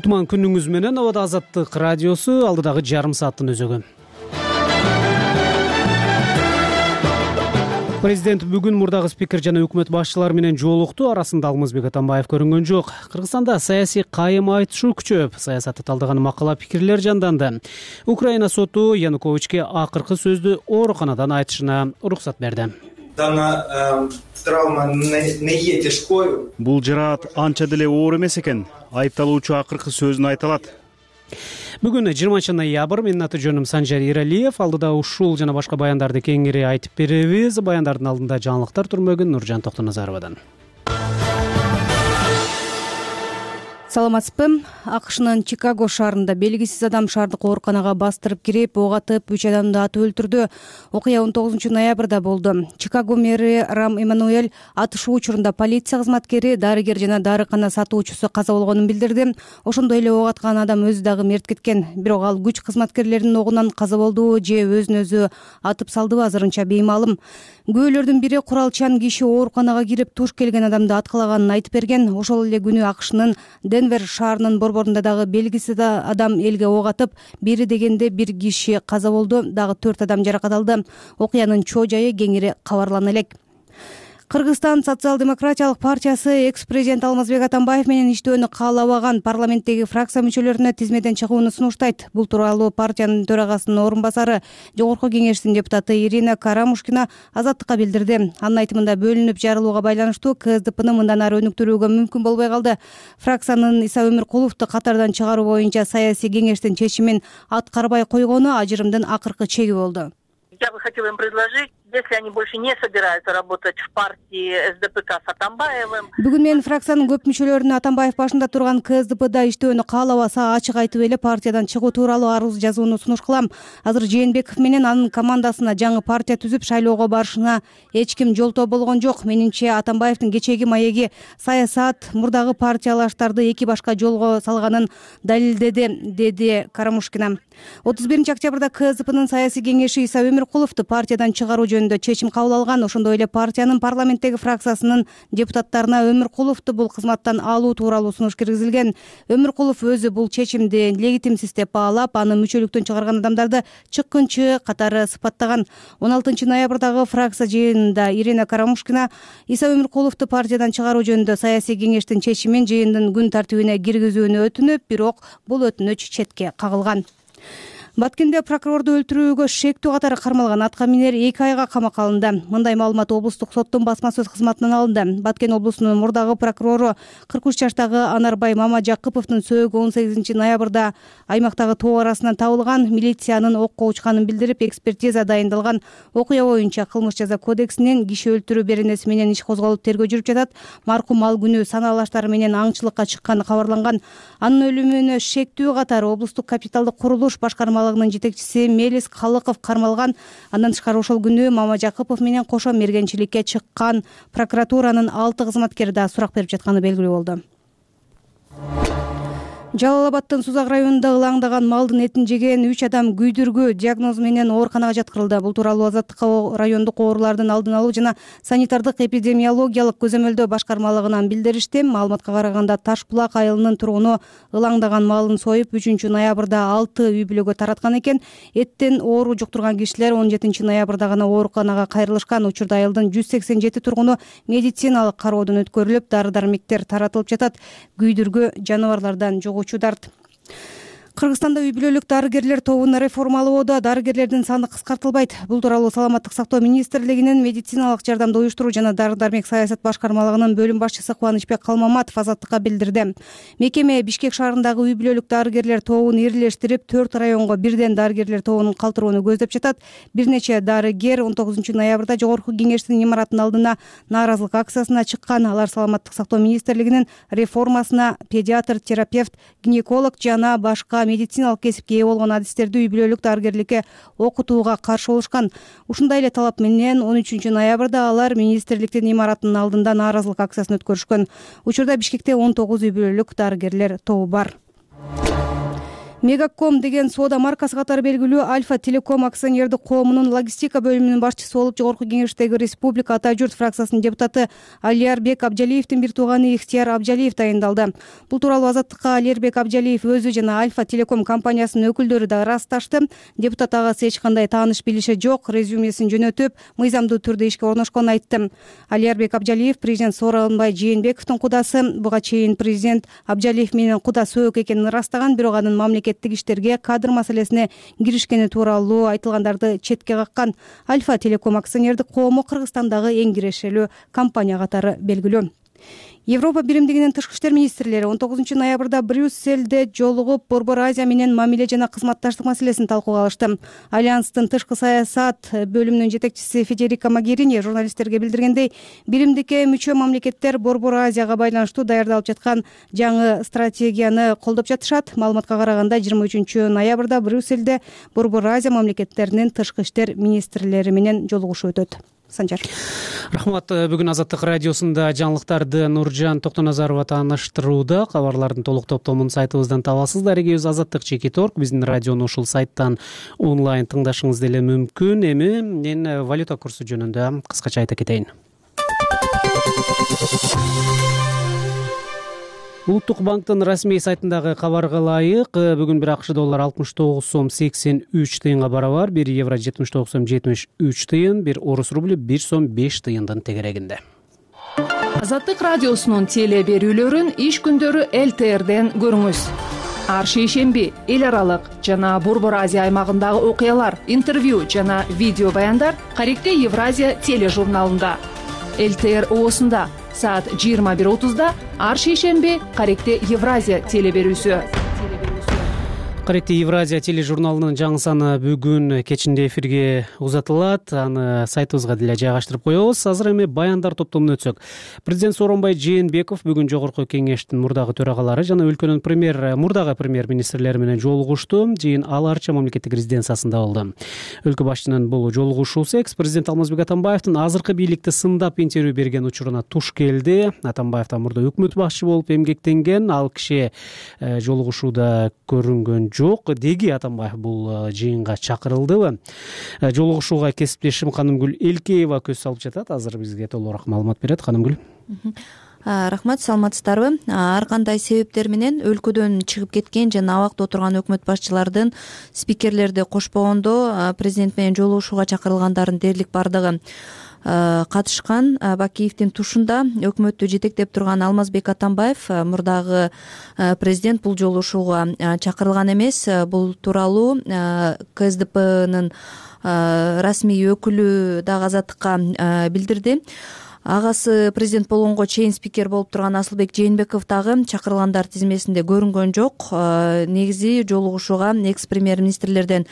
кутман күнүңүз менен. Абада Азаттык радиосу алдыдагы жарым сааттын өзөгү. Президент бүгүн мурдагы спикер жана өкмөт башчылары менен жолукту. Арасында Алмазбек Атамбаев көрүнгөн жок. Кыргызстанда саясий кайым айтышуу күчөп, саясатты талдаган макала пикирлер жанданды. Украина соту Януковичке акыркы сөздү ооруканадан айтышына уруксат берди. Травма не е тяжкою. Бул жараат анча деле оор эмес экен. Айыпталуучу акыркы сөзүн айта алат. Бүгүн 20-ноябрь. Менин аты жөнүм Санжар Иралиев. Алдыда ушул жана башка баяндарды кеңири айтып беребиз. Баяндардын алдында жаңылыктар турмөгүн Нуржан Токтоназаровадан. Саламатсызбы? АКШнын Чикаго шаарында белгисиз адам шаардык ооруканага бастырып кирип, ок атып, 3 адамды атып өлтүрдү. Окуя 19-ноябрда болду. Чикаго мэри Рам Эммануэль атышуу учурунда полиция кызматкери, дарыгер жана дарыкана сатуучусу каза болгонун билдирди. Ошондой эле ок аткан адам өзү дагы мерт кеткен. Бирок ал күч кызматкерлеринин огунан каза болдубу же өзүн өзү атып салдыбы азырынча беймалым. Күбөлөрдүн бири куралчан киши ооруканага кирип туш келген адамды аткалаганын айтып берген. Ошол эле күнү АКШнын Денвер шаарынын борборунда дагы белгисиз адам элге ок атып, бери дегенде бир киши каза болду, дагы 4 адам жаракат алды. Окуянын чоо жайы кеңири кабарлана элек. Кыргызстан социал-демократиялык партиясы экс-президент Алмазбек Атамбаев менен иштөөнү каалабаган парламенттеги фракция мүчөлөрүнө тизмеден чыгууну сунуштайт. Бул тууралуу партиянын төрагасынын орун басары, Жогорку кеңештин депутаты Ирина Карамушкина Азаттыкка билдирди. Анын айтымында бөлүнүп жарылууга байланыштуу КСДПны мындан ары өнүктүрүүгө мүмкүн болбой калды. Фракциянын Иса Өмүркуловду катардан чыгаруу боюнча саясий кеңештин чечимин аткарбай койгону ажырымдын акыркы чеги болду. Я бы хотела им предложить, если они больше не собираются работать в партии СДПК с Атамбаевым. Бүгүн мен фракциянын көп мүчөлөрүнө Атамбаев башында турган КСДПда иштөөнү каалабаса, ачык айтып эле партиядан чыгуу тууралуу арыз жазууну сунуш кылам. Азыр Жээнбеков менен анын командасына жаңы партия түзүп шайлоого барышына эч ким жолтоо болгон жок. Менимче Атамбаевдин кечеги маеги саясат мурдагы партиялаштарды эки башка жолго салганын далилдеди, деди Карамушкина. 31 октябрда КСДПнын саясий кеңеши Иса Өмүркуловду партиядан чыгаруу жөнүндө чечим кабыл алган. Ошондой эле партиянын парламенттеги фракциясынын депутаттарына Өмүркуловду бул кызматтан алуу тууралуу сунуш киргизилген. Өмүркулов өзү бул чечимди легитимсиз деп баалап, аны мүчөлүктөн чыгарган адамдарды чыккынчы катары сыпаттаган. 16 ноябрдагы фракция жыйынында Ирина Карамушкина Иса Өмүркуловду партиядан чыгаруу жөнүндө саясий кеңештин чечимин жыйындын күн тартибине киргизүүнү өтүнүп, бирок бул өтүнүч четке кагылган. Баткенде прокурорду өлтүрүүгө шектүү катары кармалган атка минер 2 айга камакка алынды. Мындай маалымат облустук соттун басма сөз кызматынан алынды. Баткен облусунун мурдагы прокурору 43 жаштагы Анарбай Мамажакыповдун сөөгү 18 ноябрда аймактагы тоо арасынан табылган. Милициянын окко учканын билдирип, экспертиза дайындалган. Окуя боюнча кылмыш жаза кодексинен киши өлтүрүү беренеси менен иш козголуп тергөө жүрүп жатат. Маркум ал күнү санаалаштары менен аңчылыкка чыкканы кабарланган. Анын өлүмүнө шектүү катары облустук капиталдык курулуш башкармалыгынын жетекчиси Мелис Калыков кармалган. Андан тышкары ошол күнү Мамажакыпов менен кошо мергенчиликке чыккан прокуратуранын 6 кызматкери да сурак берип жатканы белгилүү болду. Жалал Абадтын Сузак районунда ылаңдаган малдын этин жеген 3 адам күйдүргү диагнозу менен ооруканага жаткырылды. Бул тууралуу Азаттыкка райондук оорулардын алдын алуу жана санитардык эпидемиологиялык көзөмөлдөө башкармалыгынан билдиришти. Маалыматка караганда Таш булак айылынын тургуну ылаңдаган малын союп 3 ноябрда 6 үй бүлөгө тараткан экен. Эттен оору жуктурган кишилер 17 ноябрда гана ооруканага кайрылышкан. Учурда айылдын 187 тургуну медициналык кароодон өткөрүлүп, дары-дармектер таратылып жатат. Күйдүргү жаныбарлардан жогуучударт. Кыргызстанда үй бүлөлүк дарыгерлер тобун реформалоодо дарыгерлердин саны кыскартылбайт. Бул тууралуу Саламаттык сактоо министрлигинин медициналык жардамды уюштуруу жана дары-дармек саясат башкармалыгынын бөлүм башчысы Кубанычбек Калмаматов Азаттыкка билдирди. Мекеме Бишкек шаарындагы үй бүлөлүк дарыгерлер тобун ирлештирип, 4 районго бирден дарыгерлер тобун калтырууну көздөп жатат. Бир нече дарыгер 19 ноябрда Жогорку кеңештин имаратынын алдына нааразылык акциясына чыккан. Алар Саламаттык сактоо министрлигинин реформасына педиатр, терапевт, гинеколог жана башка медициналык кесипке ээ болгон адистерди үй бүлөлүк дарыгерликке окутууга каршы болушкан. Ушундай эле талап менен 13 ноябрда алар министрликтин имаратынын алдында нааразылык акциясын өткөрүшкөн. Учурда Бишкекте 19 үй бүлөлүк дарыгерлер тобу бар. Мегаком деген соода маркасы катары белгилүү Альфа Телеком акционердик коомунун логистика бөлүмүнүн башчысы болуп Жогорку Кеңештеги Республика Ата журт фракциясынын депутаты Алиярбек Абжалиевдин бир тууганы Ихтияр Абжалиев дайындалды. Бул тууралуу Азаттыкка Алиярбек Абжалиев өзү жана Альфа Телеком компаниясынын өкүлдөрү да ырасташты. Депутат агасы эч кандай тааныш билиши жок, резюмесин жөнөтүп, мыйзамдуу түрдө ишке орношконун айтты. Алиярбек Абжалиев президент Сооронбай Жээнбековдун кудасы. Буга чейин президент Абжалиев менен куда сөөк экенин ырастаган, бирок анын мамлекеттик иштерге кадр маселесине киришкени тууралуу айтылгандарды четке каккан. Альфа Телеком акционердик коому Кыргызстандагы эң кирешелүү компания катары белгилүү. Европа биримдигинин тышкы иштер министрлери 19-ноябрда Брюссельде жолугуп Борбор Азия менен мамиле жана кызматташтык маселесин талкууга алышты. Альянстын тышкы саясат бөлүмүнүн жетекчиси Федерика Могерини журналисттерге билдиргендей, биримдикке мүчө мамлекеттер Борбор Азияга байланыштуу даярдалып жаткан жаңы стратегияны колдоп жатышат. Маалыматка караганда 23-ноябрда Брюссельде Борбор Азия мамлекеттеринин тышкы иштер министрлери менен жолугушуу өтөт. Санжар. Рахмат. Бүгүн Азаттык радиосунда жаңылыктарды Нуржан Токтоназарова тааныштырууда. Кабарлардын толук топтомун сайтыбыздан табасыздар. Эгебиз azattik.org биздин радиону ушул сайттан онлайн тыңдашыңыз деле мүмкүн. Эми мен валюта курсу жөнүндө кыскача айта кетейин. Улуттук банктын расмий сайтындагы кабарга ылайык, бүгүн бир АКШ доллары 69 сом 83 тыйынга барабар, 1 евро 79 сом 73 тыйын, 1 орус рубль 1 сом 5 тыйындын тегерегинде. Азаттык радиосунун теле берүүлөрүн иш күндөрү ЛТРден көрүңүз. Ар шейшемби эл аралык жана Борбор Азия аймагындагы окуялар, интервью жана видео баяндар Каректе Евразия тележурналында. ЛТР оосунда саат 21:30 ар шейшемби Каректе Евразия теле берүүсү. Каректе Евразия тележурналынын жаңы саны бүгүн кечинде эфирге узатылат. Аны сайтыбызга деле жайгаштырып коебуз. Азыр эми баяндар топтомуна өтсөк. Президент Сооронбай Жээнбеков бүгүн Жогорку Кеңештин мурдагы төрагалары жана өлкөнүн мурдагы премьер-министрлери менен жолугушту. Жыйын Ал Арча мамлекеттик резиденциясында болду. Өлкө башчынын бул жолугушуусу экс-президент Алмазбек Атамбаевдин азыркы бийликти сындап интервью берген учуруна туш келди. Атамбаев да мурда өкмөт башчы болуп эмгектенген. Ал киши жолугушууда көрүнгөн жок. Деги Атамбаев бул жыйынга чакырылдыбы? Жолугушууга кесиптешим Канымгүл Элкеева көз салып жатат. Азыр бизге толугураак маалымат берет. Канымгүл. Рахмат, саламатсыздарбы? Ар кандай себептер менен өлкөдөн чыгып кеткен жана абакта отурган өкмөт башчылардын спикерлерди кошпогондо президент менен жолугушууга чакырылгандардын дээрлик бардыгы катышкан. Бакиевдин тушунда өкмөттү жетектеп турган Алмазбек Атамбаев мурдагы президент бул жолугушууга чакырылган эмес. Бул тууралуу КСДПнын расмий өкүлү дагы Азаттыкка билдирди. Агасы президент болгонго чейин спикер болуп турган Асылбек Жээнбеков дагы чакырылгандар тизмесинде көрүнгөн жок. Негизи жолугушууга экс-премьер-министрлерден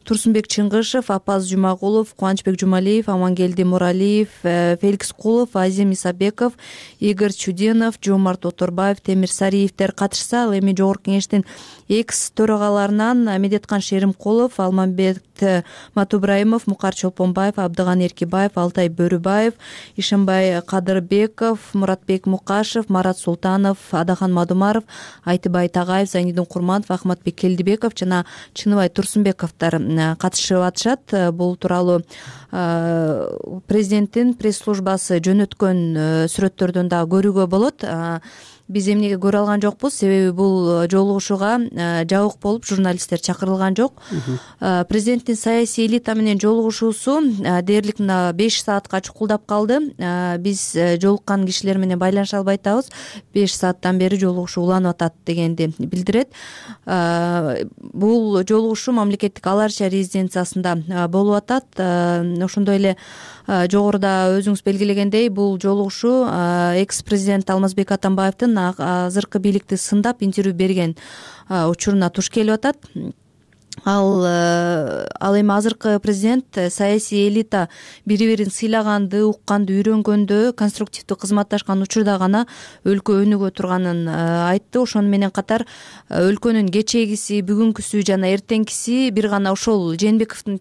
Турсунбек Чыңгышев, Апаз Жумагулов, Кубанычбек Жумалиев, Амангелди Муралиев, Феликс Кулов, Азим Исабеков, Игорь Чуденов, Жомарт Оторбаев, Темир Сариевдер катышса, ал эми Жогорку Кеңештин экс-төрагаларынан Медеткан Шеримкулов, Алмамбет Матубраимов, Мукар Чолпонбаев, Абдыган Эркибаев, Алтай Бөрүбаев, Ишенбай Кадырбеков, Муратбек Мукашев, Марат Султанов, Адахан Мадумаров, Айтыбай Тагаев, Зайнидин Курманов, Ахматбек Келдибеков жана Чыныбай Турсунбековдор катышып атышат. Бул тууралуу президенттин пресс-службасы жөнөткөн сүрөттөрдөн дагы көрүүгө болот. Биз эмнеге көрө алган жокпуз? Себеби бул жолугушууга жабык болуп журналисттер чакырылган жок. Президенттин саясий элита менен жолугушуусу дээрлик мына 5 саатка чукулдап калды. Биз жолуккан кишилер менен байланыша албай атабыз. 5 сааттан бери жолугушуу уланып атат дегенди билдирет. Бул жолугушуу мамлекеттик Ал Арча резиденциясында болуп атат. Ошондой эле жогоруда өзүңүз белгилегендей, бул жолугушуу экс-президент Алмазбек Атамбаевдин азыркы бийликти сындап интервью берген учуруна туш келип атат. Ал эми азыркы президент саясий элита бири-бирин сыйлаганды, укканды, үйрөнгөндө, конструктивдүү кызматташкан учурда гана өлкө өнүгө турганын айтты. Ошону менен катар өлкөнүн кечээгиси, бүгүнкүсү жана эртеңкиси бир гана ошол Жээнбековдун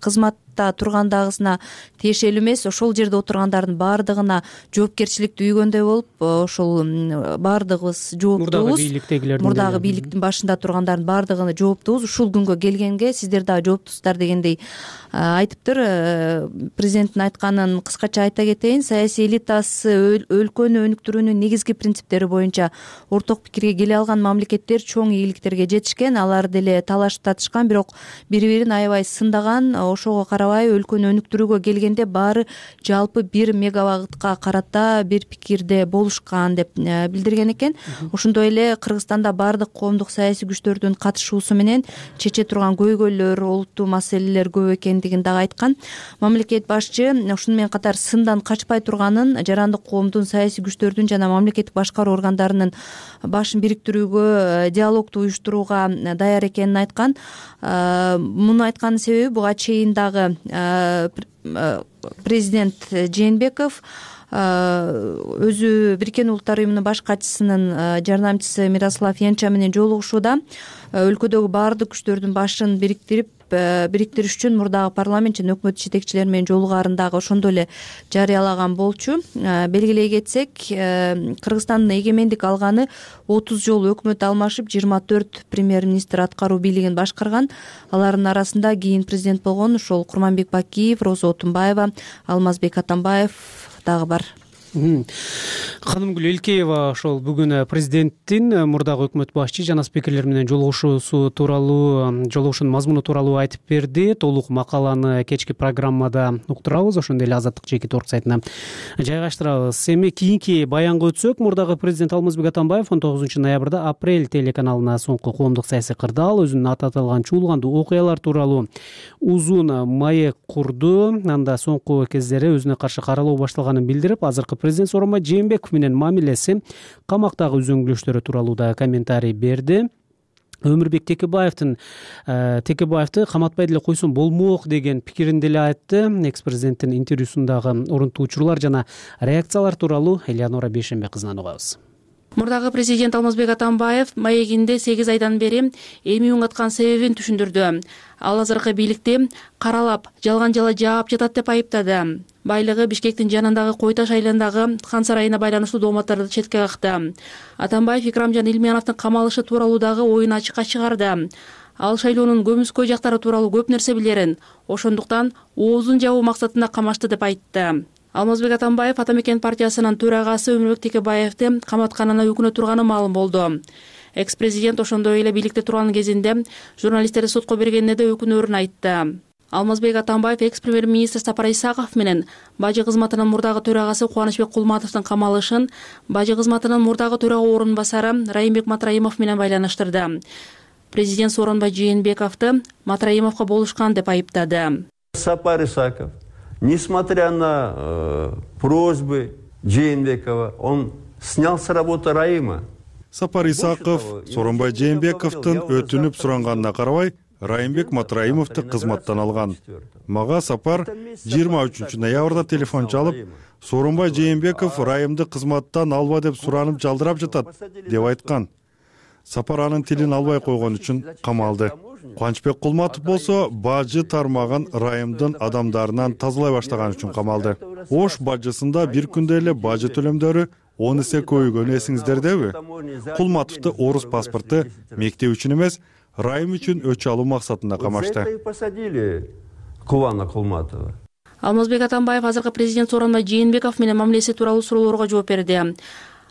кызмат парламентте тургандагысына тиешелүү эмес, ошол жерде отургандардын баардыгына жоопкерчиликти үйгөндөй болуп, ошол баардыгыбыз жооптубуз. Мурдагы бийликтин башында тургандардын баардыгына жооптубуз. Ушул күнгө келгенге сиздер дагы жооптусуздар дегендей айтыптыр. Президенттин айтканын кыскача айта кетейин. Саясий элитасы өлкөнү өнүктүрүүнүн негизги принциптери боюнча орток пикирге келе алган мамлекеттер чоң ийгиликтерге жетишкен. Алар деле талашып татышкан, бирок бири-бирин аябай сындаган. Ошого карабай өлкөнү өнүктүрүүгө келгенде баары жалпы 1 мегабайтка карата бир пикирде болушкан деп билдирген экен. Ошондой эле Кыргызстанда баардык коомдук саясий күчтөрдүн катышуусу менен чече турган көйгөйлөр, олуттуу маселелер көп экендигин дагы айткан. Мамлекет башчы ушуну менен катар сындан качпай турганын, жарандык коомдун, саясий күчтөрдүн жана мамлекеттик башкаруу органдарынын башын бириктирүүгө, диалогду уюштурууга даяр экенин айткан. Муну айтканын себеби буга чейин дагы президент Жээнбеков өзү Бириккен Улуттар уюмунун баш катчысынын жардамчысы Мирослав Янча менен жолугушууда өлкөдөгү баардык күчтөрдүн башын бириктириш үчүн мурдагы парламент жана өкмөт жетекчилери менен жолугаарын дагы ошондой эле жарыялаган болчу. Белгилей кетсек, Кыргызстандын эгемендик алганы 30 жолу өкмөт алмашып, 24 премьер-министр аткаруу бийлигин башкарган. Алардын арасында кийин президент болгон ошол Курманбек Бакиев, Роза Отунбаева, Алмазбек Атамбаев дагы бар. Ханымгүл Элкеева ошол бүгүн президенттин мурдагы өкмөт башчы жана спикерлер менен жолугушуусу тууралуу, жолугушуунун мазмуну тууралуу айтып берди. Толук макаланы кечки программада уктурабыз, ошондой эле Азаттык жеке торк сайтына жайгаштырабыз. Эми кийинки баянга өтсөк, мурдагы президент Алмазбек Атамбаев 19 ноябрда Апрель телеканалына соңку коомдук саясий кырдаал, өзүнүн аты аталган чуулгандуу окуялар тууралуу узун маек курду. Анда соңку кездери өзүнө каршы каралоо башталганын билдирип, азыркы президент Сооронбай Жээнбеков менен мамилеси, камактагы үзөңгүлөштөрү тууралуу да комментарий берди. Өмүрбек Текебаевти каматпай деле койсом болмок деген пикирин деле айтты. Экс-президенттин интервьюсундагы орунтуу учурлар жана реакциялар тууралуу Элеонора Бейшенбек кызынан угабыз. Мурдагы президент Алмазбек Атамбаев маегинде 8 айдан бери эми уңаткан себебин түшүндүрдү. Ал азыркы бийликти каралап, жалган жала жаап жатат деп айыптады. Байлыгы Бишкектин жанындагы Кой Таш айылындагы Хан сарайына байланыштуу дооматтарды четке какты. Атамбаев Икрамжан Илмияновдун камалышы тууралуу дагы оюн ачыкка чыгарды. Ал шайлоонун көмүскөй жактары тууралуу көп нерсе билерин, ошондуктан оозун жабуу максатында камашты деп айтты. Алмазбек Атамбаев Ата Мекен партиясынын төрагасы Өмүрбек Текебаевти каматканына өкүнө турганы маалым болду. Экс-президент ошондой эле бийликте турган кезинде журналисттерди сотко бергенине да өкүнөрүн айтты. Алмазбек Атамбаев экс-премьер-министр Сапар Исаков менен бажы кызматынын мурдагы төрагасы Кубанычбек Кулматовдун камалышын бажы кызматынын мурдагы төрага орун басары Райымбек Матраимов менен байланыштырды. Президент Сооронбай Жээнбековду Матраимовго болушкан деп айыптады. Сапар Исаков, несмотря на просьбы Жээнбекова, он снял с работы Раима. Сапар Исаков Сооронбай Жээнбековдун өтүнүп суранганына карабай Райымбек Матраимовду кызматтан алган. Мага Сапар 23 ноябрда телефон чалып, Сооронбай Жээнбеков Райымды кызматтан алба деп суранып жалдырап жатат деп айткан. Сапар анын тилин албай койгон үчүн камалды. Кубанычбек Кулматов болсо бажы тармагын Райымдын адамдарынан тазалай баштаган үчүн камалды. Ош бажысында бир күндө эле бажы төлөмдөрү 10 эсе көбөйгөнү эсиңиздердеби? Кулматовду орус паспорту мектеп үчүн эмес, Райым үчүн өч алуу максатында камашты. Посадили Кулана Кулматова. Алмазбек Атамбаев азыркы президент Сооронбай Жээнбеков менен мамилеси тууралуу суроолорго жооп берди.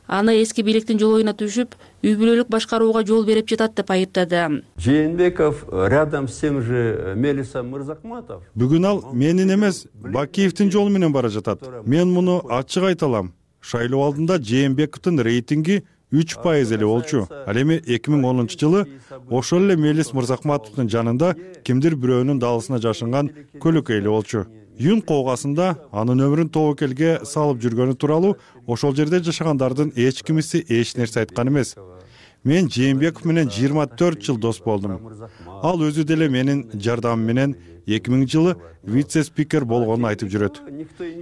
Аны эски бийликтин жолуна түшүп, үй бүлөлүк башкарууга жол берип жатат деп айыптады. Жээнбеков рядом с тем же Мелисом Мырзахматов. Бүгүн ал менин эмес, Бакиевдин жолу менен бара жатат. Мен муну ачык айта алам. Шайлоо алдында Жээнбековдун рейтинги 3% эле болчу. Ал эми 2010 жылы ошол эле Мелис Мырзахматовдун жанында кимдир бирөөнүн далысына жашынган көлөкөй эле болчу. Юн коогасында анын өмүрүн тобокелге салып жүргөнү тууралуу ошол жерде жашагандардын эч кимиси эч нерсе айткан эмес. Мен Жээнбеков менен 24 жыл дос болдум. Ал өзү деле менин жардамым менен 2000 жылы вице-спикер болгонун айтып жүрөт.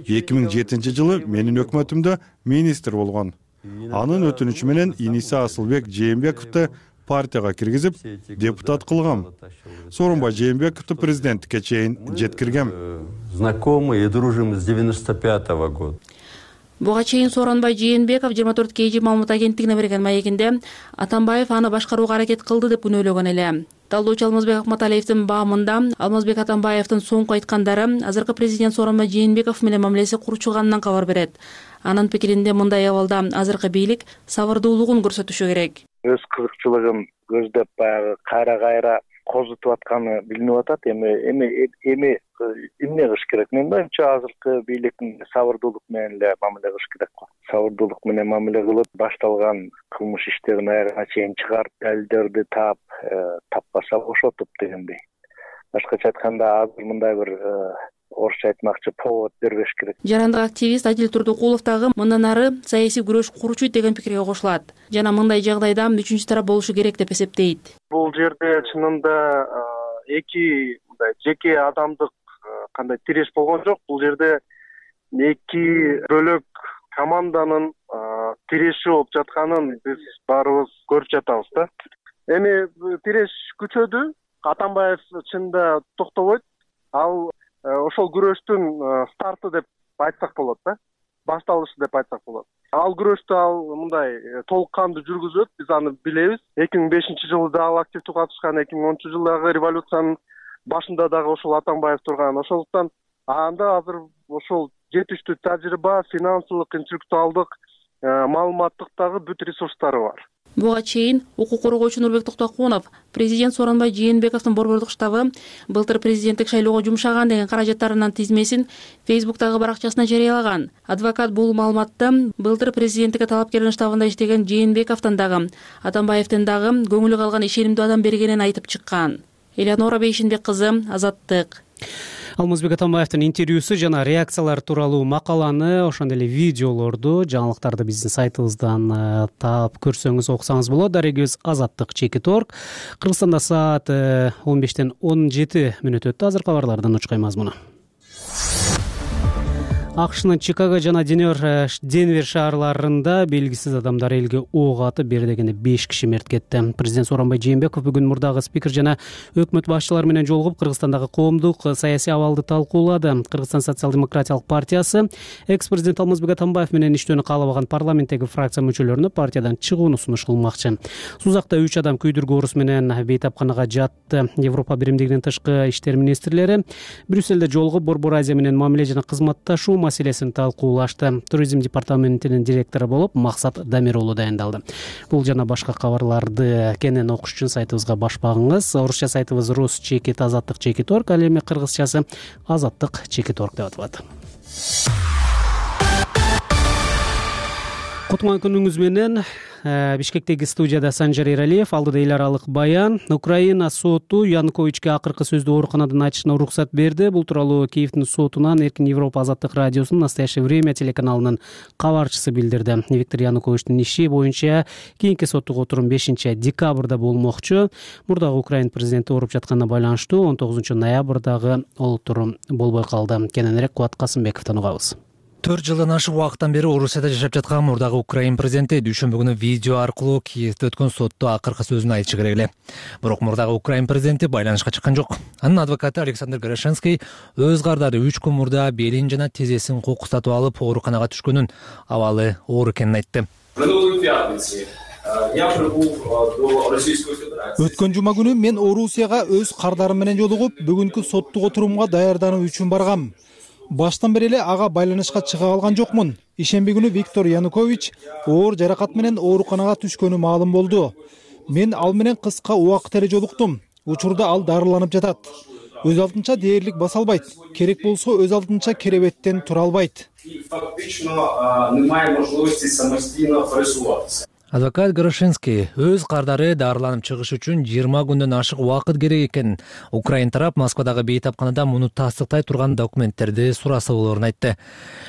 2007 жылы менин өкмөтүмдө министр болгон. Анын өтүнүчү менен иниси Асылбек Жээнбековду партияга киргизип депутат кылгам. Сооронбай Жээнбековду президенттикке чейин жеткиргем. Знакомы и дружим с 95-го года. Буга чейин Сооронбай Жээнбеков 24 KG маалымат агенттигине берген маегинде Атамбаев аны башкарууга аракет кылды деп күнөөлөгөн эле. Талдоочу Алмазбек Акматалиевдин баамында Алмазбек Атамбаевдин соңку айткандары азыркы президент Сооронбай Жээнбеков менен мамилеси курчулганынан кабар берет. Анын пикиринде мындай абалда азыркы бийлик сабырдуулугун көрсөтүшү керек. Өз кызыкчылыгын көздөп баягы кайра козутуп атканы билинип атат. Эми эмне кылыш керек? Менин оюмча азыркы бийликтин сабырдуулук менен эле мамиле кылыш керек го. Сабырдуулук менен мамиле кылып, башталган кылмыш иштерин аягына чейин чыгарып, далилдерди таппаса бошотуп дегендей. Башкача айтканда азыр мындай бир орусча айтмакчы повод бербеш керек. Жарандык активист Адил Турдукулов дагы мындан ары саясий күрөш курчуйт деген пикирге кошулат. Жана мындай жагдайда үчүнчү тарап болушу керек деп эсептейт. Бул жерде чынында эки мындай жеке адамдык кандай тиреш болгон жок. Бул жерде эки бөлөк команданын тиреши болуп жатканын биз баарыбыз көрүп жатабыз да. Эми тиреш күчөдү. Атамбаев чынында токтобойт. Ал ошол күрөштүн старты деп айтсак болот да. Башталышы деп айтсак болот. Ал күрөштү ал мындай толук кандуу жүргүзөт. Биз аны билебиз. 2005-жылы да ал активдүү катышкан, 2010-жылдагы революциянын башында дагы ошол Атамбаев турган. Ошондуктан анда азыр ошол жетиштүү тажрыйба, финансылык, интеллектуалдык, маалыматтык дагы бүт ресурстары бар. Буга чейин укук коргоочу Нурбек Токтокунов президент Сооронбай Жээнбековдун борбордук штабы былтыр президенттик шайлоого жумшаган деген каражаттарынын тизмесин Facebook'тагы баракчасына жарыялаган. Адвокат бул маалыматты былтыр президенттикке талапкердин штабында иштеген Жээнбековдун дагы, Атамбаевдин дагы көңүлү калган ишенимдүү адам бергенин айтып чыккан. Элеонора Бейшинбек кызы, Азаттык. Алмазбек Атамбаевдин интервьюсу жана реакциялар тууралуу макаланы, ошондой эле видеолорду, жаңылыктарды биздин сайтыбыздан таап көрсөңүз, окусаңыз болот. Дарегибиз Азаттык.org. Кыргызстанда саат 15:17 өттү. Азыр кабарлардын учкай мазмуну. АКШнын Чикаго жана Денвер шаарларында белгисиз адамдар элге ок атып, бир дегенде 5 киши мерт кетти. Президент Сооронбай Жээнбеков бүгүн мурдагы спикер жана өкмөт башчылары менен жолугуп, Кыргызстандагы коомдук саясий абалды талкуулады. Кыргызстан социал-демократиялык партиясы экс-президент Алмазбек Атамбаев менен иштөөнү каалабаган парламенттеги фракция мүчөлөрүнө партиядан чыгууну сунуш кылмакчы. Сузакта 3 адам күйдүргү оорусу менен бейтапканага жатты. Европа биримдигинин тышкы иштер министрлери Брюссельде жолугуп, Борбор Азия менен мамиле жана кызматташуу маселесин талкуулашты. Туризм департаментинин директору болуп Максат Дамир уулу дайындалды. Бул жана башка кабарларды кенен окуш үчүн сайтыбызга баш багыңыз. Орусча сайтыбыз rus.azattik.org, ал эми кыргызчасы azattik.org деп аталат. Кутман күнүңүз менен. Бишкектеги студияда Санжар Эралиев, алдыда эл аралык баян. Украина соту Януковичке акыркы сөздү ооруканадан айтышына уруксат берди. Бул тууралуу Киевдин сотунан Эркин Европа азаттык радиосунун Настоящее время телеканалынын кабарчысы билдирди. Виктор Януковичтин иши боюнча кийинки соттук отурум 5-декабрда болмокчу. Мурдагы Украина президенти ооруп жатканына байланыштуу 19-ноябрдагы отурум болбой калды. Кененирээк Кубат Касымбековдон угабыз. 4 жылдан ашык убакыттан бери Орусияда жашап жаткан мурдагы Украина президенти дүйшөмбү күнү видео аркылуу Киевде өткөн сотто акыркы сөзүн айтышы керек эле. Бирок мурдагы Украина президенти байланышка чыккан жок. Анын адвокаты Александр Горошенский өз кардары 3 күн мурда белин жана тизесин кокустатып алып ооруканага түшкөнүн, абалы оор экенин айтты. Өткөн жума күнү мен Орусияга өз кардарым менен жолугуп, бүгүнкү соттук отурумга даярдануу үчүн баргам. Баштан бери эле ага байланышка чыга алган жокмун. Ишемби күнү Виктор Янукович оор жаракат менен ооруканага түшкөнү маалым болду. Мен ал менен кыска убакыт эле жолуктум. Учурда ал дарыланып жатат. Өз алдынча дээрлик баса албайт. Керек болсо өз алдынча керебеттен тура албайт. Адвокат Горошенский өз кардары дарыланып чыгыш үчүн 20 күндөн ашык убакыт керек экен. Украина тарап Москвадагы бейтапканада муну тастыктай турган документтерди сураса болоорун айтты.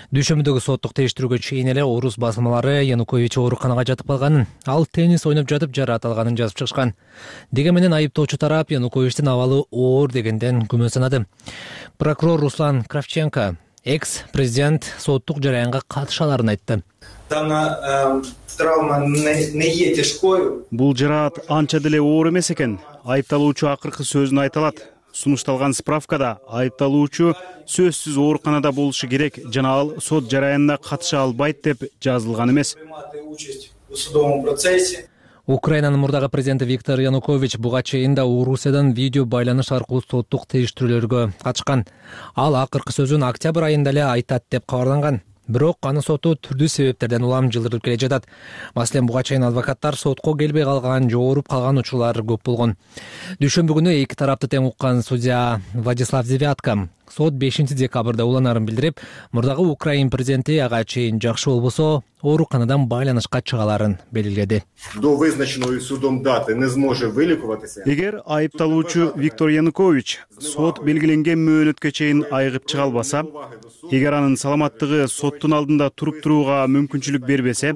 Дүйшөмбүдөгү соттук териштирүүгө чейин эле орус басылмалары Янукович ооруканага жатып калганын, ал теннис ойноп жатып жараат алганын жазып чыгышкан. Деген менен айыптоочу тарап Януковичтин абалы оор дегенден күмөн санады. Прокурор Руслан Кравченко Экс президент соттук жараянга катыша аларын айтты. Дана травма не е тяжкою. Бул жараат анча деле оор эмес экен. Айыпталуучу акыркы сөзүн айта алат. Сунушталган справкада айыпталуучу сөзсүз ооруканада болушу керек жана ал сот жараянына катыша албайт деп жазылган эмес. Украинанын мурдагы президенти Виктор Янукович буга чейин да Орусиядан видео байланыш аркылуу соттук териштирүүлөргө катышкан. Ал акыркы сөзүн октябрь айында эле айтат деп кабарланган. Бирок анын соту түрдүү себептерден улам жылдырып келе жатат. Маселен, буга чейин адвокаттар сотко келбей калган, жооруп калган учурлар көп болгон. Дүйшөмбү күнү эки тарапты тең уккан судья Владислав Девятко сот 5 декабрда уланаарын билдирип, мурдагы Украин президенти ага чейин жакшы болбосо ооруканадан байланышка чыгаларын белгиледи. До вызначеної судом дати не зможе вилікуватися. Эгер айыпталуучу Виктор Янукович сот белгиленген мөөнөткө чейин айыгып чыга албаса, эгер анын саламаттыгы соттун алдында туруп турууга мүмкүнчүлүк бербесе,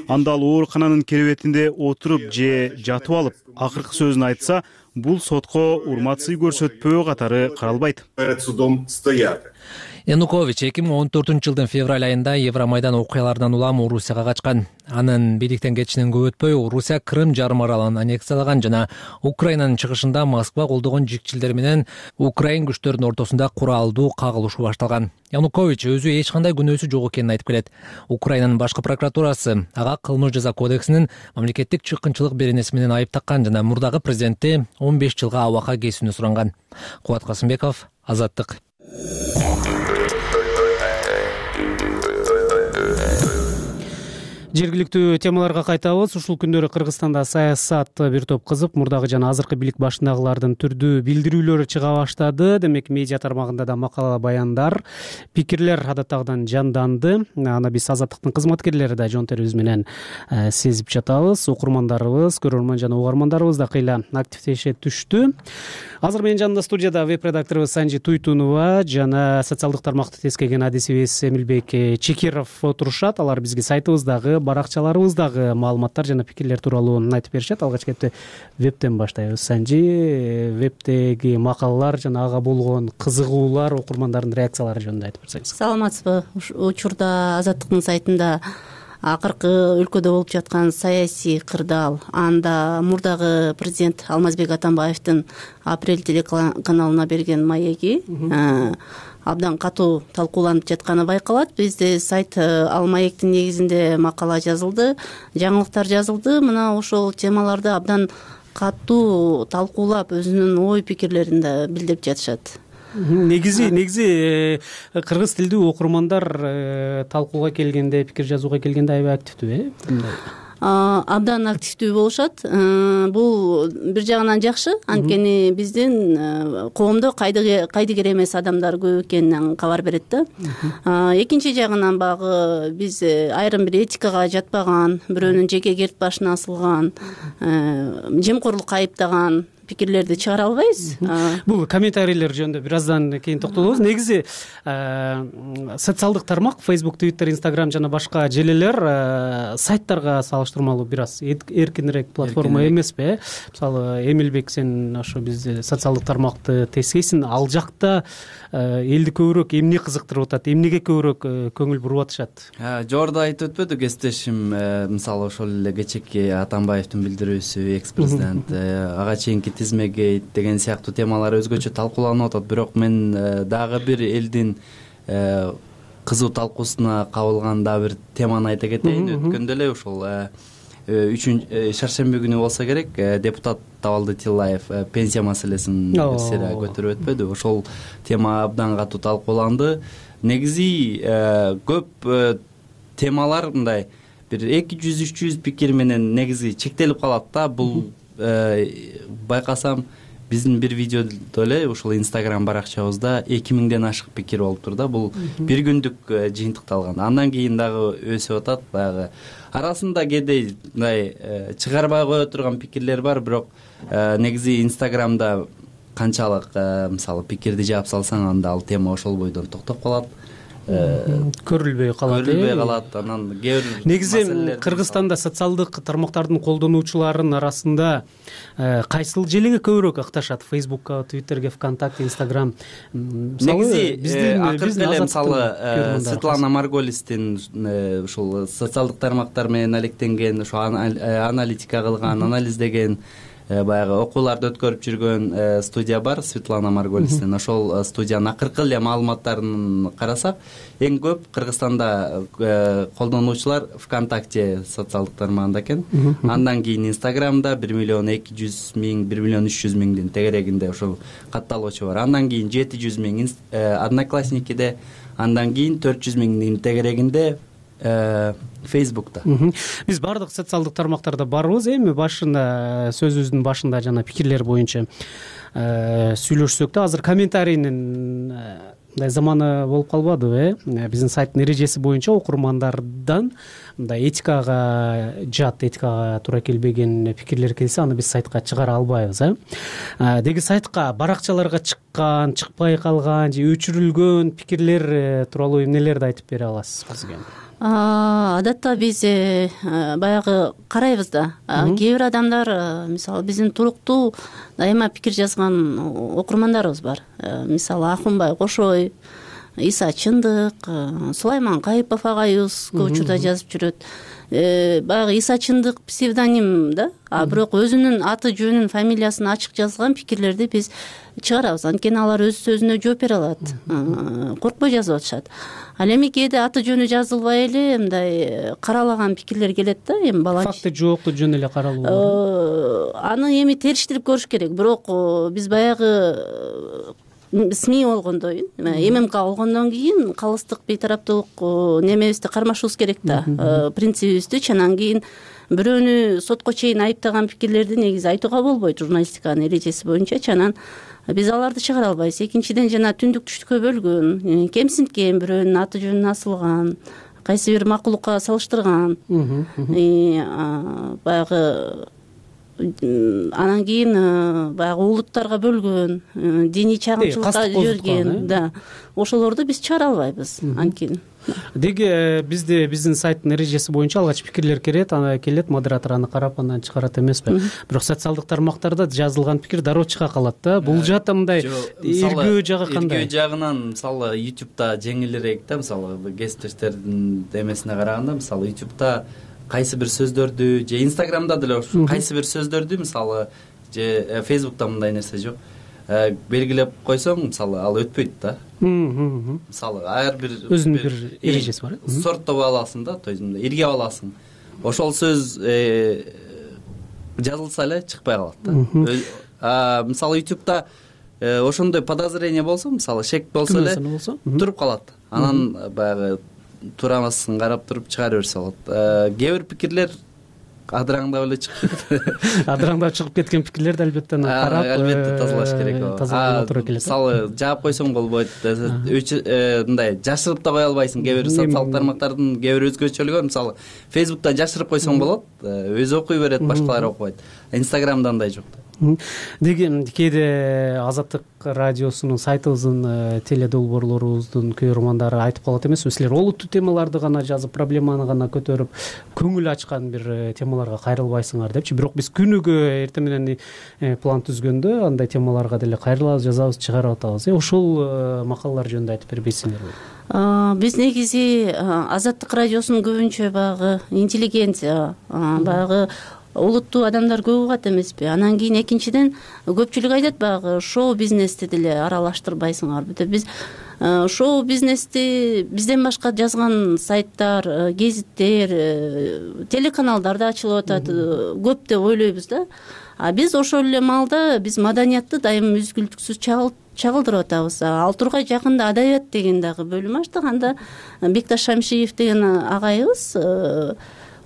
анда ал оорукананын керебетинде отуруп же жатып алып акыркы сөзүн айтса, бул сотко урмат сый көрсөтпөө катары каралбайт. Перед судом стояти. Янукович 2014-жылдын февраль айында Евромайдан окуяларынан улам Орусияга качкан. Анын бийликтен кетишинен көп өтпөй Орусия Крым жарым аралын аннексиялаган жана Украинанын чыгышында Москва колдогон жикчилдер менен Украин күчтөрүнүн ортосунда куралдуу кагылышуу башталган. Янукович өзү эч кандай күнөөсү жок экенин айтып келет. Украинанын башкы прокуратурасы ага кылмыш жаза кодексинин мамлекеттик чыккынчылык беренеси менен айып таккан жана мурдагы президентти 15 жылга абакка кесүүнү суранган. Кубат Касымбеков, Азаттык. Жергиликтүү темаларга кайтабыз. Ушул күндөрү Кыргызстанда саясат бир топ кызып, мурдагы жана азыркы бийлик башындагылардын түрдүү билдирүүлөрү чыга баштады. Демек, медиа тармагында да макала, баяндар, пикирлер адаттагыдан жанданды. Аны биз Азаттыктын кызматкерлери да жон терибиз менен сезип жатабыз. Окурмандарыбыз, көрөрман жана угармандарыбыз да кыйла активдеше түштү. Азыр менин жанымда студияда веб-редакторубуз Санжи Туйтунова жана социалдык тармакты тескеген адисибиз Эмилбек Чекиров отурушат. Алар бизге сайтыбыздагы, баракчаларыбыздагы маалыматтар жана пикирлер тууралуу айтып беришет. Алгач кетти вебтен баштайбыз. Санжи, вебтеги макалалар жана ага болгон кызыгуулар, окурмандардын реакциялары жөнүндө айтып берсеңиз. Саламатсызбы? Учурда Азаттыктын сайтында акыркы өлкөдө болуп жаткан саясий кырдаал, анда мурдагы президент Алмазбек Атамбаевдин Апрель телеканалына берген маеги абдан катуу талкууланып жатканы байкалат. Бизде сайт ал маектин негизинде макала жазылды, жаңылыктар жазылды. Мына ошол темаларды абдан катуу талкуулап, өзүнүн ой пикирлерин да билдирип жатышат. Негизи кыргыз тилдүү окурмандар талкууга келгенде, пикир жазууга келгенде аябай активдүү, абдан активдүү болушат. Бул бир жагынан жакшы, анткени биздин коомдо кайдыгер эмес адамдар көп экенин кабар берет да. Экинчи жагынан багы биз айрым бир этикага жатпаган, бирөөнүн жеке керт башына асылган, жемкорлукка айыптаган пикирлерди чыгара албайбыз. Бул комментарийлер жөнүндө бир аздан кийин токтолобуз. Негизи социалдык тармак Facebook, Twitter, Instagram жана башка желелер сайттарга салыштырмалуу бир аз эркинирээк платформа эмеспи? Мисалы, Эмилбек, сен ошо биз социалдык тармакты тескейсиң, ал жакта элди көбүрөөк эмне кызыктырып атат, эмнеге көбүрөөк көңүл буруп атышат? Жогоруда айтып өтпөдү кесиптешим, мисалы ошол эле кечээки Атамбаевдин билдирүүсү, экс-президент, ага чейинки Тизмегейт деген сыяктуу темалар өзгөчө талкууланып атат. Бирок мен дагы бир элдин кызуу талкуусуна кабылган дагы бир теманы айта кетейин. Өткөндө эле ушул 3 шаршемби күнү болсо керек, депутат Табалды Тилаев пенсия маселесин сыра көтөрүп өтпөдү. Ошол тема абдан катуу талкууланды. Негизи көп темалар мындай бир 200-300 пикир менен негизи чектелип калат да. Бул байкасам биздин бир видеодо эле ушул Instagram баракчабызда 2000ден ашык пикир болуптур да. Бул бир күндүк жыйынтыкталган. Андан кийин дагы өсүп атат. Баягы арасында кээде мындай чыгарбай кое турган пикирлер бар, бирок негизи Instagramда канчалык мисалы пикирди жаап салсаң, анда ал тема ошол бойдон токтоп калат. көрүлбөй калат. Анан кээ бир негизи Кыргызстанда социалдык тармактардын колдонуучуларынын арасында кайсыл желеге көбүрөөк ыкташат? Фейсбукка, Твиттерге, ВКонтакте, Инстаграм? Негизи акыркы эле мисалы Светлана Марголистин ушул социалдык тармактар менен алектенген, ошо аналитика кылган, анализдеген, баягы окууларды өткөрүп жүргөн студия бар, Светлана Марголистин. Ошол студиянын акыркы эле маалыматтарын карасак, эң көп Кыргызстанда колдонуучулар ВКонтакте социалдык тармагында экен. Андан кийин Инстаграмда 1.200.000, 1.300.000 тегерегинде ошол катталуучу бар. Андан кийин 700.000 Одноклассникиде, андан кийин 400.000 тегерегинде Фейсбукта. Биз баардык социалдык тармактарда барбыз. Эми башында сөзүбүздүн башында жана пикирлер боюнча сүйлөшсөк да, азыр комментарийнин мындай заманы болуп калбадыбы? Биздин сайттын эрежеси боюнча окурмандардан мындай этикага жат, этикага туура келбеген пикирлер келсе, аны биз сайтка чыгара албайбыз. Деги сайтка баракчаларга чыккан, чыкпай калган же өчүрүлгөн пикирлер тууралуу эмнелерди айтып бере аласыз бизге? Адатта биз баягы карайбыз да. Кээ бир адамдар, мисалы биздин туруктуу дайыма пикир жазган окурмандарыбыз бар. Мисалы Акунбай Кошой, Иса Чындык, Сулайман Кайыпов агайыбыз көп учурда жазып жүрөт. Баягы Иса Чындык псевдоним да, бирок өзүнүн аты жөнүн, фамилиясын ачык жазган пикирлерди биз чыгарабыз. Анткени алар өз сөзүнө жооп бере алат. Коркпой жазып атышат. Ал эми кээде аты жөнү жазылбай эле мындай каралаган пикирлер келет да, эми факты жокту жөн эле каралуу. Аны эми териштирип көрүш керек. Бирок биз баягы СМИ болгондон кийин, ММК болгондон кийин калыстык бейтараптуулук немебизди кармашыбыз керек да, принцибибизди. Анан кийин бирөөнү сотко чейин айыптаган пикирлерди негизи айтууга болбойт журналистиканын эрежеси боюнча. Анан биз аларды чыгара албайбыз. Экинчиден жана түндүк түштүккө бөлгөн, кемсинткен, бирөөнүн аты жөнүн асылган, кайсы бир макулукка салыштырган, баягы анан кийин баягы улуттарга бөлгөн, диний чагымчылыкка жиберген, да, ошолорду биз чыгара албайбыз. Анткени деги биздин сайттын эрежеси боюнча алгач пикирлер келет, модератор аны карап анан чыгарат эмеспи? Бирок социалдык тармактарда жазылган пикир дароо чыга калат да. Бул жакта мындай эргүү жагы кандай? Эргүү жагынан мисалы YouTube'да жеңилирээк да, мисалы кесиптештердин эмесине караганда, мисалы YouTube'да кайсы бир сөздөрдү же Инстаграмда деле кайсы бир сөздөрдү, мисалы же Фейсбукта мындай нерсе жок, белгилеп койсоң, мисалы ал өтпөйт да. Мисалы ар бир өзүнүн бир эрежеси бар. Сорттоп аласың да, то есть иргеп аласың. Ошол сөз жазылса эле чыкпай калат да. Мисалы YouTube'да ошондой подозрение болсо, мисалы шек болсо эле туруп калат. Анан баягы турамасын карап туруп чыгара берсе болот. Кээ бир пикирлер адыраңдап эле чыгып адыраңдап чыгып кеткен пикирлерди албетте карап, албетте тазалаш керек. Тазалоо туура келет. Мисалы жаап койсоң болбойт, мындай жашырып да кое албайсың. Кээ бир социалдык тармактардын кээ бир өзгөчөлүгү, мисалы Фейсбуктан жашырып койсоң болот, өзү окуй берет, башкалар окубайт. Инстаграмда андай жок. Деги кээде Азаттык радиосунун, сайтыбыздын теледолбоорлорубуздун көрөрмандары айтып калат эмеспи, силер олуттуу темаларды гана жазып, проблеманы гана көтөрүп, көңүл ачкан бир темаларга кайрылбайсыңар депчи. Бирок биз күнүгө эртең менен план түзгөндө андай темаларга деле кайрылабыз, жазабыз, чыгарып атабыз. Ошол макалалар жөнүндө айтып бербейсиңерби? Биз негизи Азаттык радиосунун көбүнчө баягы интеллигенция, баягы улуттуу адамдар көп угат эмеспи. Анан кийин экинчиден көпчүлүк айтат баягы шоу бизнести деле аралаштырбайсыңарбы деп. Биз шоу бизнести бизден башка жазган сайттар, гезиттер, телеканалдар да ачылып атат, көп деп ойлойбуз да. Биз ошол эле маалда биз маданиятты дайым үзгүлтүксүз чагылдырып атабыз. Ал тургай жакында адабият деген дагы бөлүм ачтык. Анда Бекташ Шамшиев деген агайыбыз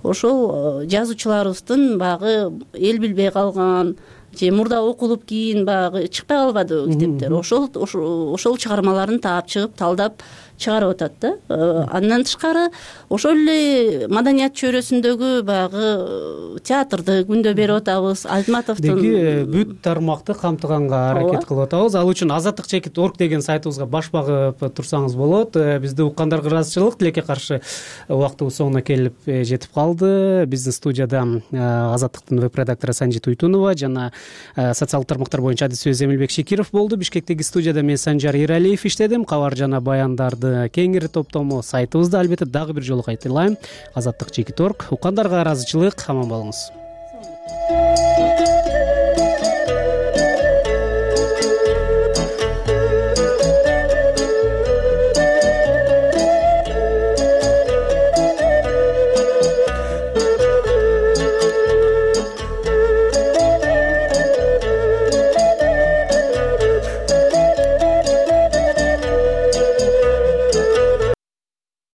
ошол жазуучуларыбыздын баягы эл билбей калган же мурда окулуп кийин баягы чыкпай калбады китептер. Ошол чыгармаларын таап чыгып, талдап чыгарып атат да. Андан тышкары ошол эле маданият чөйрөсүндөгү баягы театрды күндө берип атабыз. Айтматовдун деги бүт тармакты камтыганга аракет кылып атабыз. Ал үчүн azatlyk.org деген сайтыбызга баш багып турсаңыз болот. Бизди уккандарга ыраазычылык, тилекке каршы убактыбыз соңуна келип жетип калды. Биздин студияда Азаттыктын веб-редактору Санжит Уйтунова жана социалдык тармактар боюнча адис сөз Эмилбек Шекиров болду. Бишкектеги студияда мен Санжар Иралиев иштедим. Кабар жана баяндарды кеңири топтому сайтыбызда албетте дагы бир жолу кайталайм. Azatlyk.org. Уккандарга ыраазычылык, аман болуңуз.